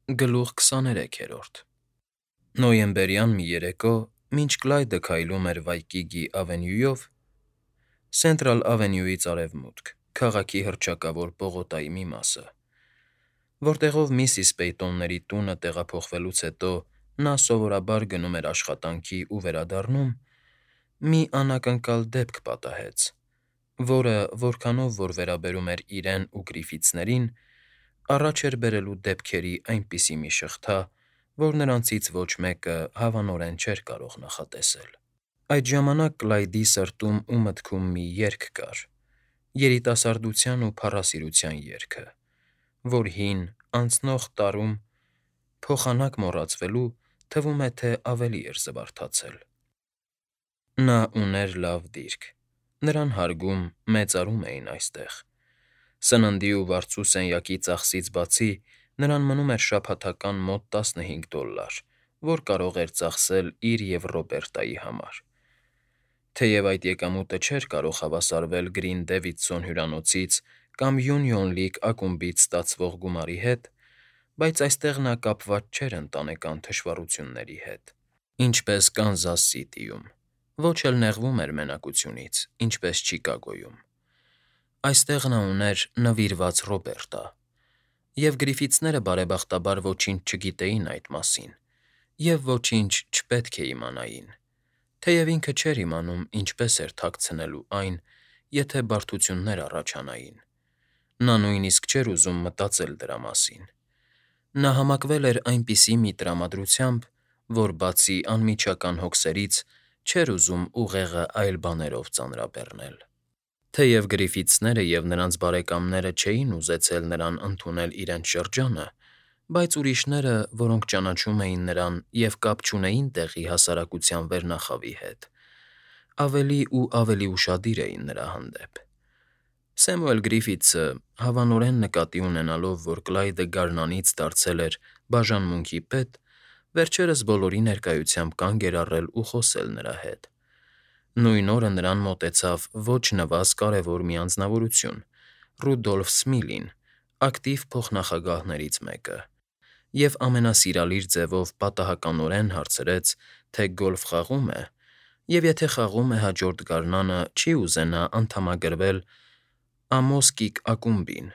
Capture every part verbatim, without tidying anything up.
Գլուխ քսաներեքերորդ Նոյեմբերյան մի երեկո, մինչ Կլայդը քայլում էր Վայկիգի ավենյուով, Սենտրալ ավենյուից արևմուտք, քաղաքի հռչակավոր պողոտայի մի մասը, որտեղով միսիս Պեյտոնների տունը տեղափոխվելուց հետո նա սովորաբար գնում էր աշխատանքի ու վերադառնում, մի անակնկալ դեպք պատահեց, որը, որքանով որ վերաբերում էր իրեն ու Գրիֆիթսներին, առաջ էր բերելու դեպքերի այնպիսի մի շղթա, որ նրանցից ոչ մեկը հավանորեն չէր կարող նախատեսել։ Այդ ժամանակ Կլայդի սրտում ու մտքում մի երգ կար, երիտասարդության ու փառասիրության երգը, որ հին, անցնող տարում, փոխանակ մոռացվելու, թվում է թե ավելի էր զվարթացել։ Նա ուներ լավ դիրք, նրան հարգում, մեծարում էին այստեղ։ Սննդի ու վարձու սենյակի ծախսից բացի նրան մնում էր շաբաթական մոտ տասնհինգ դոլլար, որ կարող էր ծախսել իր և Ռոբերտայի համար։ Թեև այդ եկամուտը չէր կարող հավասարվել Գրին Դեվիդսոն հյուրանոցից կամ Յունիոն Լիգ ակումբից ստացվող գումարի հետ, բայց այստեղ նա կապված չէր ընտանեկան թշվառությունների հետ, ինչպես Կանզաս Սիթիում, ոչ էլ նեղվում էր մենակությունից, ինչպես Չիկագոյում։ Այստեղ նա ուներ նվիրված Ռոբերտա, և Գրիֆիթսները բարեբախտաբար ոչինչ չգիտեին այդ մասին, և ոչինչ չպետք է իմանային, թեև ինքը չէր իմանում ինչպես էր թաքցնելու այն, եթե բարդություններ առաջանային։ Նա նույնիսկ չէր ուզում մտածել դրա մասին։ Նա համակվել էր այնպիսի մի տրամադրությամբ, որ բացի անմիջական հոգսերից չէր ուզում ուղեղը այլ բաներով ծանրաբեռնել։ Թեև Գրիֆիթսները և նրանց բարեկամները չէին ուզեցել նրան ընդունել իրենց շրջանը, բայց ուրիշները, որոնք ճանաչում էին նրան և կապ չունեին տեղի հասարակության վերնախավի հետ, ավելի ու ավելի ուշադիր էին նրա հանդեպ։ Սեմուել Գրիֆիթսը, հավանորեն նկատի ունենալով, որ Կլայդը գարնանից դարձել էր բաժանմունքի պետ, վերջերս բոլորի ներկայությամբ կանգ էր առել ու խոսել նրա հետ։ Նույն օրը նրան մոտեցավ ոչ նվազ կարևոր մի անձնավորություն՝ Ռուդոլֆ Սմիլին, ակտիվ փոխնախագահներից մեկը, և ամենասիրալիր ձևով պատահականորեն հարցրեց, թե գոլֆ խաղո՞ւմ է, և եթե խաղում է հաջորդ գարնանը չի ուզենա անդամագրվել Ամոսկիկ ակումբին,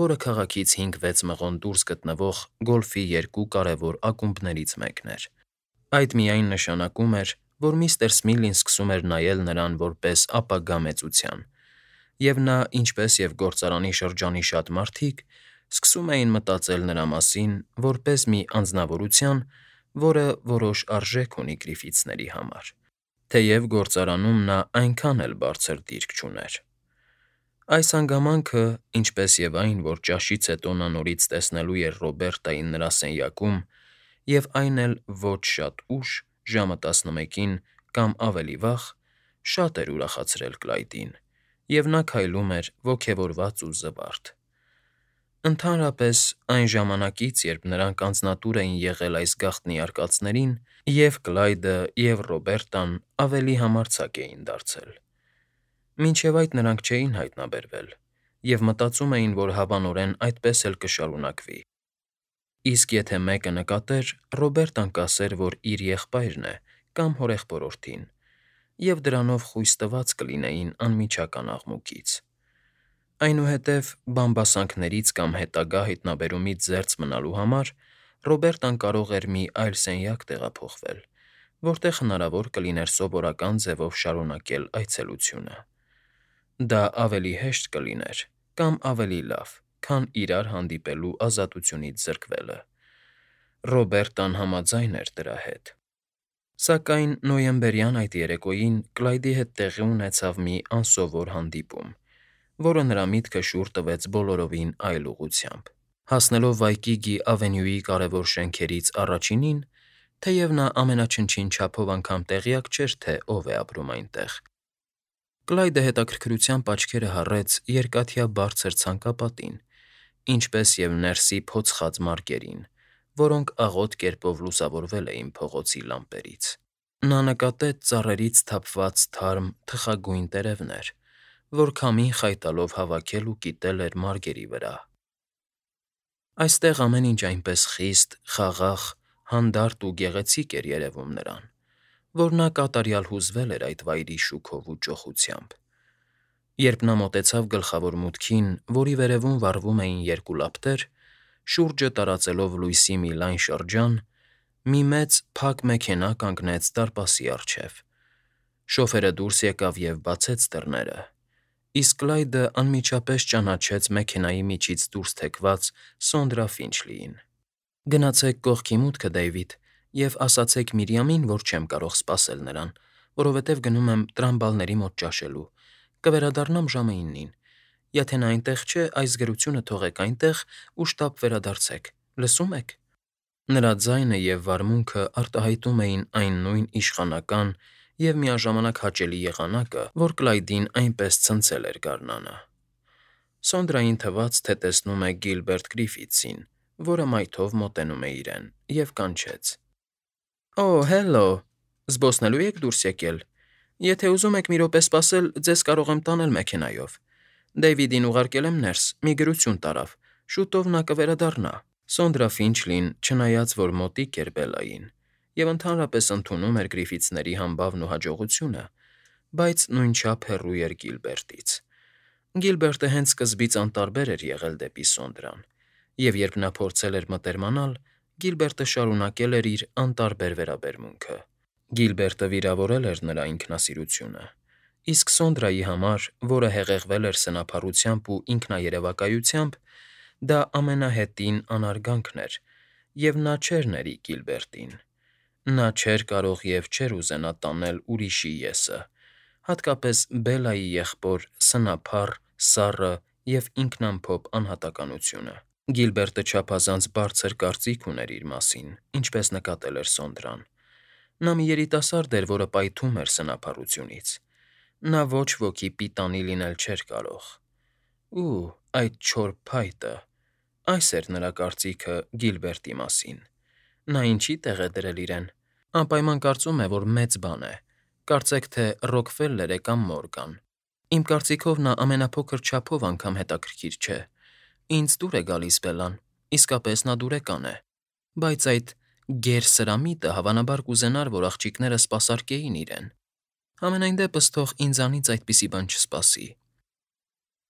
որը քաղաքից հինգ֊վեց մղոն դուրս գտնվող գոլֆի երկու կարևոր ակումբներից մեկն էր։ Այդ միայն նշանակում էր, որ միստր Սմիլին սկսում էր նայել նրան որպես ապագա մեծության, և նա, ինչպես և գործարանի շրջանի շատ մարդիկ, սկսում էին մտածել նրա մասին որպես մի անձնավորության, որը որոշ արժեք ունի Գրիֆիթսների համար, թեև գործարանում նա այնքան էլ բարձր դիրք չուներ։ Այս հանգամանքը, ինչպես և այն, որ ճաշից հետո նա նորից տեսնելու էր Ռոբերտային նրա սենյակում, և այն էլ ոչ շատ ուշ, ժամը տասնմեկին կամ ավելի վաղ, շատ էր ուրախացրել Կլայդին, և նա քայլում էր ոգևորված ու զվարթ։ Ընդհանրապես, այն ժամանակից, երբ նրանք անձնատուր էին եղել այս գաղտնի արկածներին, և՛ Կլայդը, և՛ Ռոբերտան ավելի համարձակ էին դարձել։ Մինչև այդ նրանք չէին հայտնաբերվել և մտածում էին, որ հավանորեն այդպես էլ կշարունակվի, իսկ եթե մեկը նկատեր, Ռոբերտան կասեր, որ իր եղբայրն է կամ հորեղբորորդին, և դրանով խույս տված կլինեին անմիջական աղմուկից։ Այնուհետև, բամբասանքներից կամ հետագա հայտնաբերումից զերծ մնալու համար Ռոբերտան կարող էր մի այլ սենյակ տեղափոխվել, որտեղ հնարավոր կլիներ սովորական ձևով շարունակել այցելությունը։ Դա ավելի հեշտ կլիներ կամ ավելի լավ, քան իրար հանդիպելու ազատությունից զրկվելը։ Ռոբերտան համաձայն էր դրա հետ։ Սակայն նոյեմբերյան այդ երեկոյին Կլայդի հետ տեղի ունեցավ մի անսովոր հանդիպում, որը նրա միտքը շուռ տվեց բոլորովին այլ ուղղությամբ։ Հասնելով Վայկիգի ավենյուի կարևոր շենքերից առաջինին, թեև նա ամենաչնչին չափով անգամ տեղյակ չէր, թե ով է ապրում այնտեղ, Կլայդը հետաքրքրությամբ աչքերը հառեց երկաթյա բարձր ցանկապատին, ինչպես և ներսի փոցխած մարգերին, որոնք աղոտ կերպով լուսավորվել էին փողոցի լամպերից։ Նա նկատեց ծառերից թափված թարմ, թխագույն տերևներ, որ քամին խայտալով հավաքել ու կիտել էր մարգերի վրա։ Այստեղ ամեն ինչ այնպես խիստ, խաղաղ, հանդարտ ու գեղեցիկ էր երևում նրան, որ նա կատարյալ հուզվել էր այդ վայրի շուքով ու ճոխությամբ։ Երբ նա մոտեցավ գլխավոր մուտքին, որի վերևում վառվում էին երկու լապտեր, շուրջը տարածելով լույսի մի լայն շրջան, մի մեծ, փակ մեքենա կանգնեց դարպասի առջև։ Շոֆերը դուրս եկավ և բացեց դռները, իսկ Կլայդը անմիջապես ճանաչեց մեքենայի միջից դուրս թեքված Սոնդրա Ֆինչլիին։ «Գնացեք կողքի մուտքը, Դեյվիդ, և ասացեք Միրիամին, որ չեմ կարող սպասել նրան, որովհետև գնում եմ տրամբալների մոտ ճաշելու, կվերադառնամ ժամը իննին։ Եթե նա այնտեղ չէ, այս գրությունը թողեք այնտեղ ու շտապ վերադարձեք, լսո՞ւմ եք»։ Նրա ձայնը և վարմունքը արտահայտում էին այն նույն իշխանական և միաժամանակ հաճելի եղանակը, որ Կլայդին այնպես ցնցել էր գարնանը։ Սոնդրային թվաց, թե տեսնում է Գիլբերտ Գրիֆիթսին, որը մայթով մոտենում է իրեն, և կանչեց. «Օ, հելլո, զբոսնելո՞ւ եք դուրս եկել։ Եթե ուզում եք մի րոպե սպասել, ձեզ կարող եմ տանել մեքենայով։ Դեյվիդին ուղարկել եմ ներս, մի գրություն տարավ, շուտով նա կվերադառնա»։ Սոնդրա Ֆինչլին, չնայած որ մոտիկ էր Բելլային և ընդհանրապես ընդունում էր Գրիֆիթսների համբավն ու հաջողությունը, բայց նույնչափ հեռու էր Գիլբերտից։ Գիլբերտը հենց սկզբից անտարբեր էր եղել դեպի Սոնդրան, և երբ նա փորձել էր մտերմանալ, Գիլբերտը շարունակել էր իր անտարբեր վերաբերմունքը։ Գիլբերտը վիրավորել էր նրա ինքնասիրությունը, իսկ Սոնդրայի համար, որը հեղեղվել էր սնափառությամբ ու ինքնաերևակայությամբ, դա ամենահետին անարգանքն էր, և նա չէր ների Գիլբերտին։ Նա չէր կարող և չէր ուզենա տանել ուրիշի ես֊ը, հատկապես Բելլայի եղբոր սնափառ, սառը և ինքնամփոփ անհատականությունը։ Գիլբերտը չափազանց բարձր կարծիք ուներ իր մասին, ինչպես նկատել էր Սոնդրան։ Նա մի երիտասարդ էր, որը պայթում էր սնափառությունից։ Նա ոչ ոքի պիտանի լինել չէր կարող։ Ու՜, այդ չոր փայտը… Այս էր նրա կարծիքը Գիլբերտի մասին։ Նա ինչի՞ տեղ է դրել իրեն։ Անպայման կարծում է, որ մեծ բան է, կարծեք թե Ռոքֆելլեր է կամ Մորգան։ Իմ կարծիքով նա ամենափոքր չափով անգամ հետաքրքիր չէ։ Ինձ դուր է գալիս Բելլան, իսկապես նա դուրեկան է, բայց այդ գեր֊սրամիտը հավանաբար կուզենար, որ աղջիկները սպասարկեին իրեն։ Համենայն դեպս թող ինձանից այդպիսի բան չսպասի։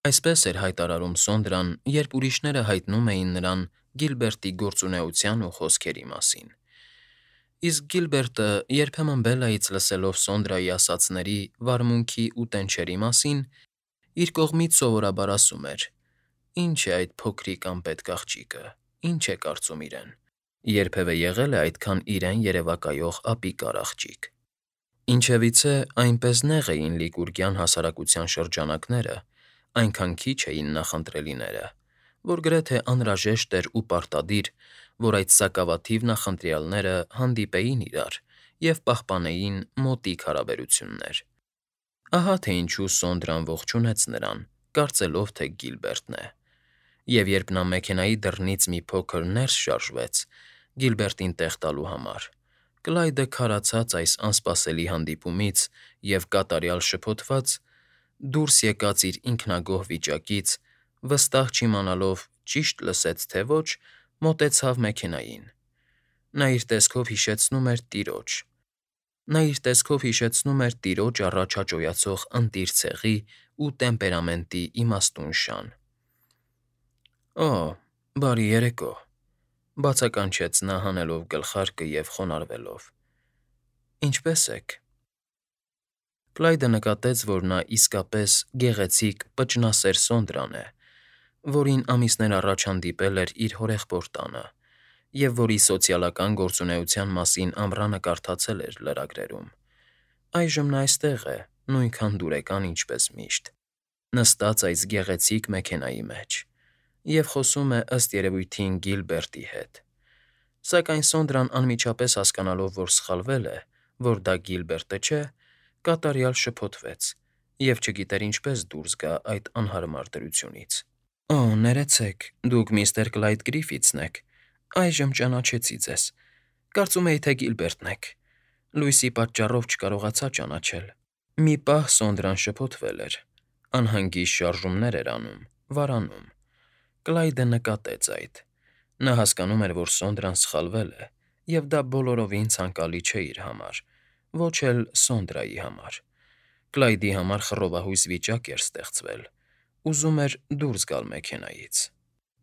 Այսպես էր հայտարարում Սոնդրան, երբ ուրիշները հայտնում էին նրան Գիլբերտի գործունեության ու խոսքերի մասին։ Իսկ Գիլբերտը, երբեմն Բելլայից լսելով Սոնդրայի ասածների, վարմունքի ու տենչերի մասին, իր կողմից սովորաբար ասում էր. «Ի՞նչ է այդ փոքրիկ անպետք աղջիկը, ի՞նչ է կարծում իրեն։ Երբևէ եղե՞լ է այդքան իրեն երևակայող ապիկար աղջիկ»։ Ինչևիցե, այնպես նեղ էին լիկուրգյան հասարակության շրջանակները, այնքան քիչ էին նախընտրելիները, որ գրեթե անհրաժեշտ էր ու պարտադիր, որ այդ սակավաթիվ նախընտրյալները հանդիպեին իրար և պահպանեին մոտիկ հարաբերություններ։ Ահա թե ինչու Սոնդրան ողջունեց նրան, կարծելով, թե Գիլբերտն է։ Եվ երբ նա մեքենայի դռնից մի փոքր ներս շարժվեց՝ Գիլբերտին տեղ տալու համար, Կլայդը քարացած այս անսպասելի հանդիպումից և կատարյալ շփոթված, դուրս եկած իր ինքնագոհ վիճակից, վստահ չիմանալով ճիշտ լսեց, թե ոչ, մոտեցավ մեքենային։ Նա իր տեսքով հիշեցնում էր տիրոջ… Նա իր տեսքով հիշեցնում էր տիրոջ առաջ հաճոյացող ընտիր ցեղի ու տեմպերամենտի իմաստուն շան։ «Օ, բարի երեկո», բացականչեց նա հանելով գլխարկը և խոնարհվելով։ «Ինչպե՞ս եք»։ Կլայդը նկատեց, որ նա իսկապես գեղեցիկ, պճնասեր Սոնդրան է, որին ամիսներ առաջ հանդիպել էր իր հորեղբոր տանը և որի սոցիալական գործունեության մասին ամռանը կարդացել էր լրագրերում։ Այժմ նա այստեղ է, նույնքան դուրեկան, ինչպես միշտ, նստած այս գեղեցիկ մեքենայի մեջ, և խոսում է, ըստ երևույթին, Գիլբերտի հետ։ Սակայն Սոնդրան, անմիջապես հասկանալով, որ սխալվել է, որ դա Գիլբերտը չէ, կատարյալ շփոթվեց և չգիտեր ինչպես դուրս գա այդ անհարմար դրությունից։ «Օ, ներեցեք, դուք միստր Կլայդ Գրիֆիթսն եք, այժմ ճանաչեցի ձեզ։ Կարծում էի, թե Գիլբերտն եք։ Լույսի պատճառով չկարողացա ճանաչել»։ Մի պահ Սոնդրան շփոթվել էր, անհանգիստ շարժումներ էր անում, վարանում։ Կլայդը նկատեց այդ։ Նա հասկանում էր, որ Սոնդրան սխալվել է, և դա բոլորովին ցանկալի չէ իր համար, ոչ էլ Սոնդրայի համար։ Կլայդի համար խռովահույս վիճակ էր ստեղծվել, ուզում էր դուրս գալ մեքենայից։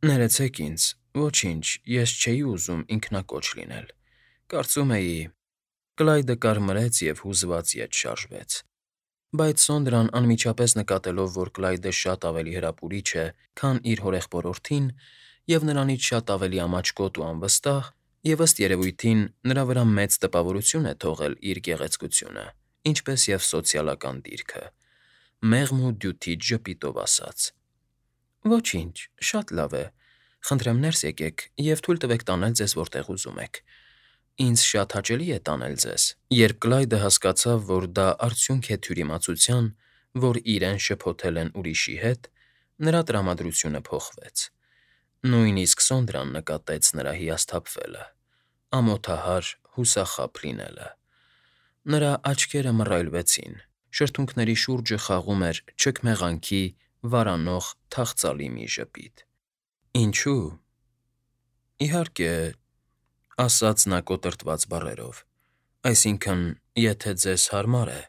Ներեցեք ինձ, ոչինչ, ես չէի ուզում ինքնակոչ լինել, կարծում էի… Կլայդը կարմրեց և հուզված ետ շարժվեց։ Բայց Սոնդրան, անմիջապես նկատելով, որ Կլայդը շատ ավելի հրապուրիչ է, քան իր հորեղբորորդին, և նրանից շատ ավելի ամաչկոտ ու անվստահ, և, ըստ երևույթին, նրա վրա մեծ տպավորություն է թողել իր գեղեցկությունը, ինչպես և սոցիալական դիրքը, մեղմ ու դյութիչ ժպիտով ասաց. «Ոչինչ, շատ լավ է, խնդրեմ ներս եկեք և թույլ տվեք տանել ձեզ որտեղ ուզում եք։ Ինձ շատ հաճելի է տանել ձեզ»։ Երբ Կլայդը հասկացավ, որ դա արդյունք է թյուրիմացության, որ իրեն շփոթել են ուրիշի հետ, նրա տրամադրությունը փոխվեց։ Նույնիսկ Սոնդրան նկատեց նրա հիասթափվելը, ամոթահար, հուսախաբ լինելը։ Նրա աչքերը մռայլվեցին, շրթունքների շուրջը խաղում էր չքմեղանքի վարանող թախծալի մի ժպիտ։ «Ինչո՞ւ»։ «Իհարկե…»… ասաց նա կոտրտված բառերով, «այսինքն, եթե ձեզ հարմար է…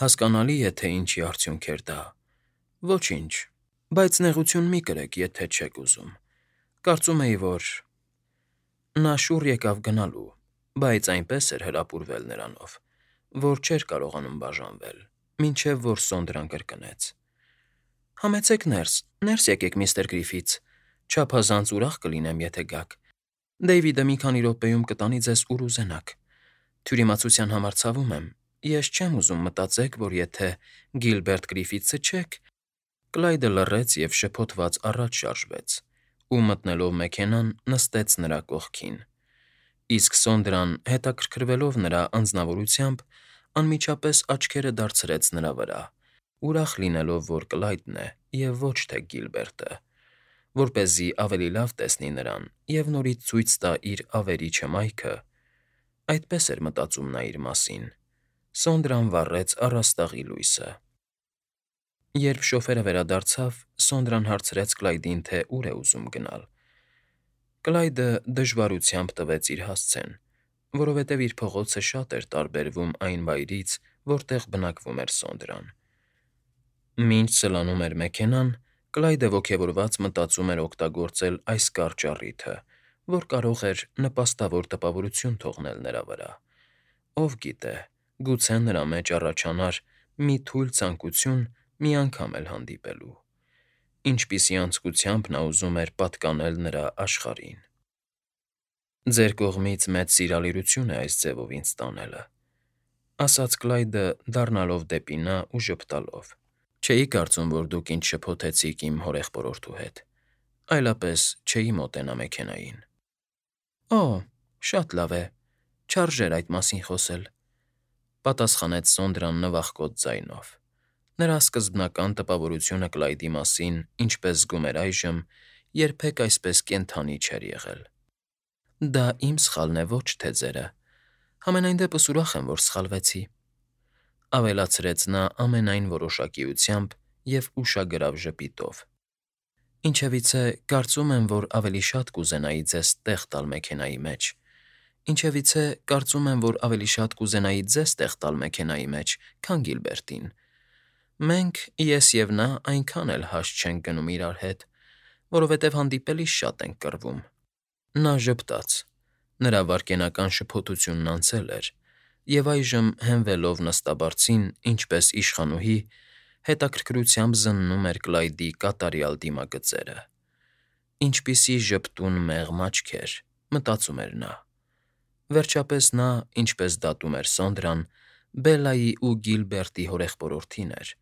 հասկանալի է, թե ինչի արդյունք էր դա… Ոչինչ, բայց նեղություն մի կրեք, եթե չեք ուզում… Կարծում էի, որ…»։ Նա շուռ եկավ գնալու, բայց այնպես էր հրապուրվել նրանով, որ չէր կարողանում բաժանվել, մինչև որ Սոնդրան կրկնեց. «Համեցեք ներս, ներս եկեք, միստր Գրիֆիթս, չափազանց ուրախ կլինեմ, եթե գաք… Դեյվիդը մի քանի րոպեում կտանի ձեզ ուր ուզենաք… Թյուրիմացության համար ցավում եմ, ես չեմ ուզում մտածեք, որ եթե Գիլբերտ Գրիֆիթսը չեք…» Կլայդը լռեց և շփոթված առաջ շարժվեց ու, մտնելով մեքենան, նստեց նրա կողքին, իսկ Սոնդրան, հետաքրքրվելով նրա անձնավորությամբ, անմիջապես աչքերը դարձրեց նրա վրա, ուրախ լինելով, որ Կլայդն է, և ոչ թե Գիլբերտը, որպեսզի ավելի լավ տեսնի նրան և նորից ցույց տա իր ավերիչ հմայքը… Այդպես էր մտածում նա իր մասին։ Սոնդրան վառեց առաստաղի լույսը։ Երբ շոֆերը վերադարձավ, Սոնդրան հարցրեց Կլայդին, թե ուր է ուզում գնալ։ Կլայդը դժվարությամբ տվեց իր հասցեն, որովհետև իր փողոցը շատ էր տարբերվում այն վայրից, որտեղ բնակվում էր Սոնդրան։ Մինչ սլանում էր մեքենան, Կլայդը ոգևորված մտածում էր օգտագործել այս կարճ առիթը, որ կարող էր նպաստավոր տպավորություն թողնել նրա վրա։ Ով գիտե, գուցե նրա մեջ առաջանար մի թույլ ցանկություն մի անգամ էլ հանդիպելու… Ինչպիսի անձկությամբ նա ուզում էր պատկանել նրա աշխարհին… «Ձեր կողմից մեծ սիրալիրություն է այս ձևով ինձ տանելը», ֊ ասաց Կլայդը, դառնալով դեպի նա ու ժպտալով։ «Չէի կարծում, որ դուք ինձ շփոթեցիք իմ հորեղբորորդու հետ, այլապես չէի մոտենա մեքենային»։ «Օ՜, շատ լավ է, չարժեր այդ մասին խոսել», ֊ պատասխանեց Սոնդրան նվախկոտ ձայնով։ Նրա սկզբնական տպավորությունը Կլայդի մասին, ինչպես զգում էր այժմ, երբեք այսպես կենդանի չէր եղել։ «Դա իմ սխալն է, ոչ թե ձերը… Համենայն դեպս ուրախ եմ, որ սխալվեցի», ֊ ավելացրեց նա ամենայն որոշակիությամբ և ուշագրավ ժպիտով։ «Ինչևիցե, կարծում եմ, որ ավելի շատ կուզենայի ձեզ տեղ տալ մեքենայի մեջ… Ինչևիցե, կարծում եմ, որ ավելի շատ կուզենայի ձեզ տեղ տալ մեքենայի մեջ, քան Գիլբերտին… Մենք՝ ես և նա, այնքան էլ հաշտ չենք գնում իրար հետ, որովհետև հանդիպելիս շատ ենք կռվում»։ Նա ժպտաց։ Նրա վայրկենական շփոթությունն անցել էր, և այժմ, հենվելով նստաբարձին, ինչպես իշխանուհի, հետաքրքրությամբ զննում էր Կլայդի կատարյալ դիմագծերը։ «Ինչպիսի ժպտուն մեղմ աչքեր», ֊ մտածում էր նա։ Վերջապես նա, ինչպես դատում էր Սոնդրան, Բելլայի ու Գիլբերտի հորեղբորորդին էր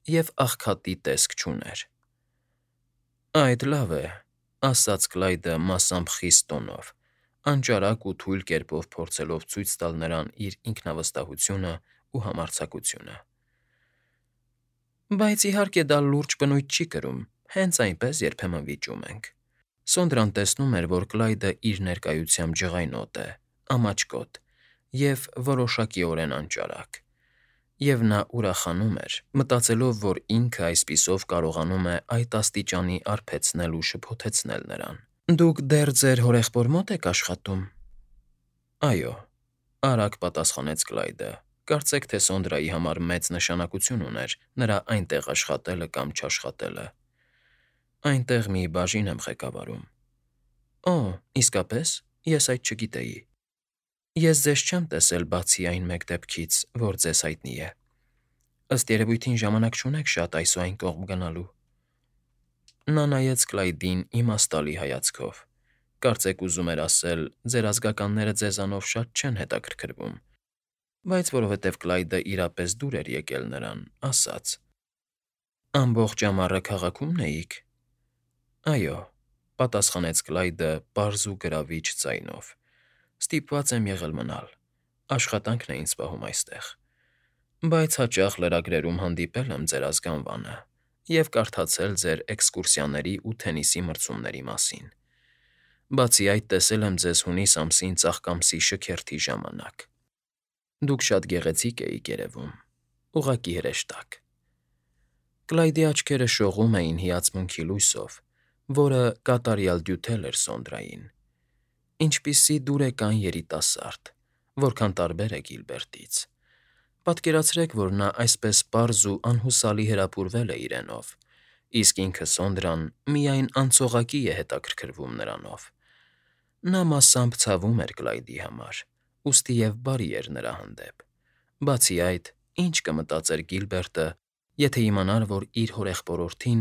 և աղքատի տեսք չուներ։ «Այդ լավ է», ֊ ասաց Կլայդը մասամբ խիստ տոնով, անճարակ ու թույլ կերպով փորձելով ցույց տալ նրան իր ինքնավստահությունն ու համարձակությունը։ «Բայց, իհարկե, դա լուրջ բնույթ չի կրում, հենց այնպես երբեմն վիճում ենք»։ Սոնդրան տեսնում էր, որ Կլայդը իր ներկայությամբ ջղայնոտ է, ամաչկոտ և որոշակիորեն անճարակ, և նա ուրախանում էր, մտածելով, որ ինքը այսպիսով կարողանում է այդ աստիճանի արբեցնել ու շփոթեցնել նրան։ Դուք դեռ ձեր հորեղբոր մոտ եք աշխատում։ Այո, արագ պատասխանեց Կլայդը։ Կարծեք թե Սոնդրայի համար մեծ նշանակություն ուներ նրա այնտեղ աշխատելը կամ չաշխատելը։ Այնտեղ մի բաժին եմ ղեկավարում։ Օ, իսկապես, ես այդ չգիտեի։ Ես ձեզ չեմ տեսել բացի այն մեկ դեպքից, որ ձեզ հայտնի է։ Ըստ երևույթին ժամանակ չունեք շատ այս ու այն կողմ գնալու։ Նա նայեց Կլայդին իմաստալի հայացքով։ Կարծեք ուզում էր ասել. ձեր ազգականները ձեզանով շատ չեն հետաքրքրվում, բայց որովհետև Կլայդը իրապես դուր էր եկել նրան, ասաց. Ամբողջ ամառը քաղաքում էիք։ Այո, պատասխանեց Կլայդը պարզ ու գրավիչ ձայնով։ Ստիպված եմ եղել մնալ։ Աշխատանքն է ինձ պահում այստեղ։ Բայց հաճախ լրագրերում հանդիպել եմ ձեր ազգանվանը և կարդացել ձեր էքսկուրսիաների ու թենիսի մրցումների մասին։ Բացի այդ, տեսել եմ ձեզ հունիս ամսին ծաղկամսի շքերթի ժամանակ։ Դուք շատ գեղեցիկ էիք երևում, ուղղակի հրեշտակ։ Կլայդի աչքերը շողում էին հիացմունքի լույսով, որը կատարյալ դյութել էր Սոնդրային։ Ինչպիսի դուրեկան երիտասարդ, որքան տարբեր է Գիլբերտից։ Պատկերացրեք, որ նա այսպես պարզ ու անհուսալի հրապուրվել է իրենով, իսկ ինքը Սոնդրան միայն անցողակի է հետաքրքրվում նրանով։ Նա մասամբ ցավում էր Կլայդի համար, ուստի և բարի էր նրա հանդեպ։ Բացի այդ, ինչ կմտածեր Գիլբերտը, եթե իմանար, որ իր հորեղբորորդին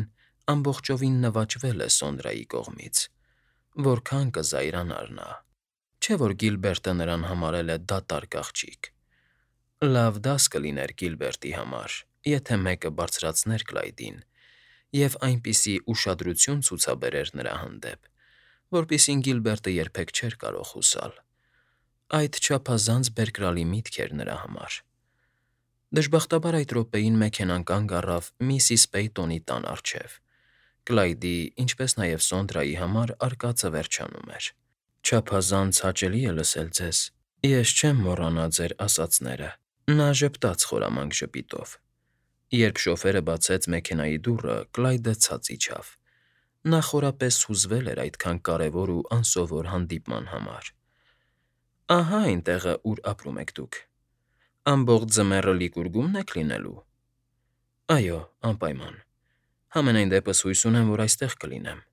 ամբողջովին նվաճվել է Սոնդրայի կողմից։ Որքան կզայրանար նա։ Չէ՞ որ Գիլբերտը նրան համարել է դատարկ աղջիկ։ Լավ դաս կլիներ Գիլբերտի համար, եթե մեկը բարձրացներ Կլայդին և այնպիսի ուշադրություն ցուցաբերեր նրա հանդեպ, որպիսին Գիլբերտը երբեք չէր կարող հուսալ։ Այդ չափազանց բերկրալի միտք էր նրա համար։ Դժբախտաբար այդ րոպեին մեքենան կանգ առավ միսիս Պեյտոնի տան առջև։ Կլայդի, ինչպես նաև Սոնդրայի համար արկածը վերջանում էր։ Չափազանց հաճելի է լսել ձեզ։ Ես չեմ մոռանա ձեր ասածները։ Նա ժպտաց խորամանկ ժպիտով։ Երբ շոֆերը բացեց մեքենայի դուռը, Կլայդը ցած իջավ։ Նա խորապես հուզվել էր այդքան կարևոր ու անսովոր հանդիպման համար։ Ահա այն տեղը, ուր ապրում եք դուք։ Ամբողջ ձմեռը Լիկուրգումն եք լինելու։ Այո, անպայման։ Համենայն դեպս հույս ունեմ, որ այստեղ կլինեմ,֊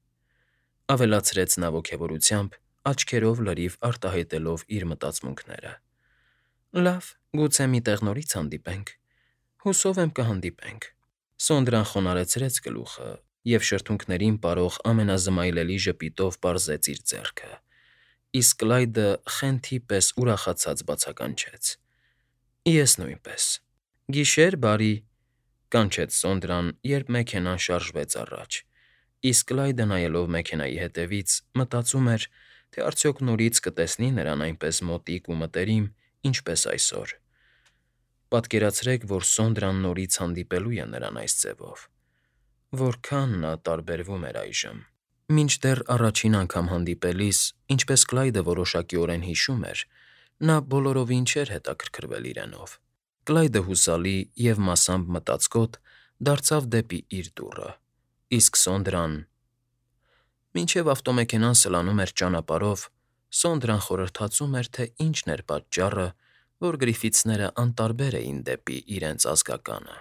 ավելացրեց նա ոգևորությամբ, աչքերով լրիվ արտահայտելով իր մտածմունքները։ Լավ, գուցե մի տեղ նորից հանդիպենք։ Հուսով եմ կհանդիպենք։ Սոնդրան խոնարհեցրեց գլուխը և շրթունքներին պարող ամենազմայլելի ժպիտով պարզեց իր ձեռքը, իսկ Կլայդը խենթի պես ուրախացած բացականչեց. Ես նույնպես։ Գիշեր բարի, կանչեց Սոնդրան, երբ մեքենան շարժվեց առաջ, իսկ Կլայդը նայելով մեքենայի հետևից, մտածում էր, թե արդյոք նորից կտեսնի նրան այնպես մոտիկ ու մտերիմ, ինչպես այսօր։ Պատկերացրեք, որ Սոնդրան նորից հանդիպելու է նրան այս ձևով։ Որքան նա տարբերվում էր այժմ։ Մինչդեռ առաջին անգամ հանդիպելիս, ինչպես Կլայդը որոշակիորեն հիշում էր, նա բոլորովին չէր հետաքրքրվել իրենով։ Կլայդը հուսալի և մասամբ մտածկոտ դարձավ դեպի իր դուռը, իսկ Սոնդրան… Մինչև ավտոմեքենան սլանում էր ճանապարհով, Սոնդրան խորհրդածում էր, թե ինչն էր պատճառը, որ Գրիֆիթսները անտարբեր էին դեպի իրենց ազգականը։